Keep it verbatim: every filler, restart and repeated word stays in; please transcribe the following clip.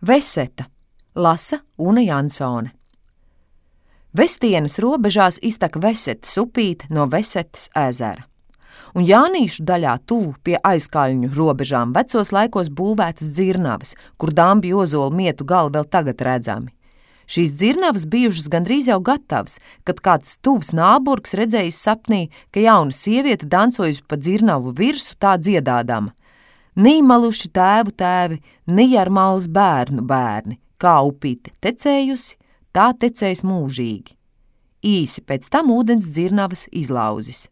Veseta, lasa Una Jansone. Vestienas robežās iztek Vesetas upīte no Vesetas ezera, un Jānīšu daļā tuvu pie aizkaļņu robežām vecos laikos būvētas dzirnavas, kur Dambju ozolu mietu gali vēl tagad redzami. Šīs dzirnavas bijušas gandrīz jau gatavas, kad kāds tuvs nāburgs redzējis sapnī, ka jauna sieviete dancojusi pa dzirnavu virsu tā dziedādama: Nī maluši tēvu tēvi, nī ar malas bērnu bērni, kā upīte tecējusi, tā tecējis mūžīgi. Īsi pēc tam ūdens dzirnavas izlauzis.